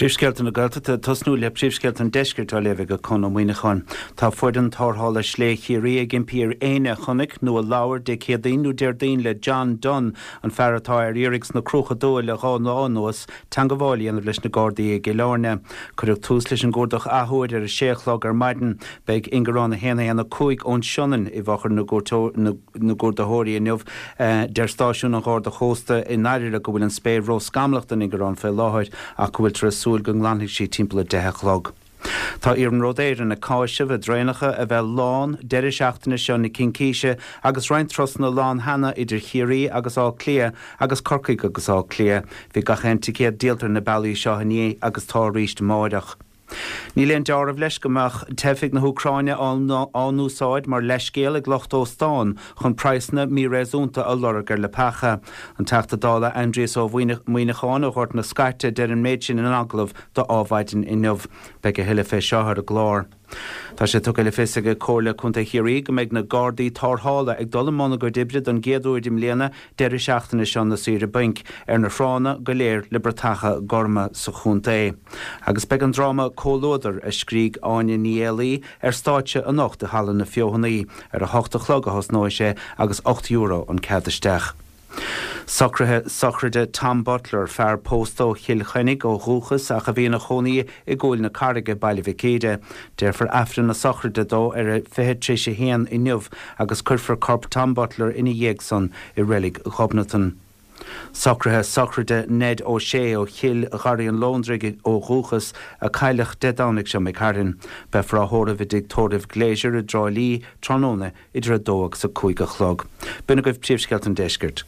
Príomhscéalta na Gaeltachta ag tosnú le príomhscéalta an Deiscirt á léamh ag Conn Ó Muíneacháin. Tá foireann tarrthála Slé Chiarraí ag impí ar éinne a chonaic nó a labhair Dé Céadaoin nó Déardaoin le John Dunne, an fear atá ar iarraidh sna Cruacha Dubha le 2 lá anuas, teangabháil a dhéanamh leis na Gardaí i gCill Airne. Cuireadh tús leis an gcuardach athuair ar a sé a chlog ar maidin. Beidh Ingearán 1 1 5 ón Sionainn i bhfochair na gcuardaitheoirí inniu. Deir stáisiún an Gharda Chósta i nOirire go bhfuil an spéir ró-scamallach don ingearán fé láthair ach go bhfuiltear ag súil go nglanfaidh sí timpeall 10 a chlog. Tá Iarnród Éireann ag cáiseamh a dtraenacha a bheith lán deireadh seachtaine seo na Cincíse agus roinnt turasanna lán cheana idir Chiarraí agus Áth Cliath agus Corcaigh agus Áth Cliath. Bhí gach aon ticéad díolta ar na bealaí seo inné agus tá arís amáireach. Níl aon deáramh leis go mbeadh teifigh na hÚcráine á n-úsáid mar leithscéal ag lucht óstán chun praghsanna míréasúnta a lorg ar leapacha. An Teachta Dála Aindrias Ó Muíneacháin ó Ghort na Scaite a deir an méid sin in agallamh do Adhmhaidin inniu. Beidh a thuilleadh fé seo ar an gclár. Tá sé tugtha le fios ag Comhairle Contae Chiarraí go mbeidh na Gardaí Tarrthála ag dul i mbun a gcuid oibre don gcéad uair i mbliana deireadh seachtaine seo na saoire bainc ar na tránna go léir le bratacha gorma sa chontae. Agus beidh an dráma Comhluadar, a scrígh Áine Ní Éalaí, ar stáitse anocht i Halla na Feothanaí. Ar a hocht a chlog a thosnóidh sé agus €8 an cead isteach. Socruithe sochraide Tom Butler, fear pósta ó Chill Chainnigh ó dhúchas ach a bhí ina chónaí i gCúil na Carraige, Baile Mhic Íre. Déarfar Aifreann na sochraide dó ar a 20 tar éis a haon inniu agus cuirfear corp Tom Butler ina dhiaidh san i Reilig Ghobnatan. Socruithe sochraide Ned Ó Sé ó Chill Gharraí an Lóndraigh ó dhúchas, a cailleadh Dé Domhnaigh seo imigh tharainn. Beifear á thórramh i dTigh Tórraimh Glazier i dTrá Lí tráthnóna idir 2 agus 5 a chlog. B'in agaibh príomhscéalta an deiscirt.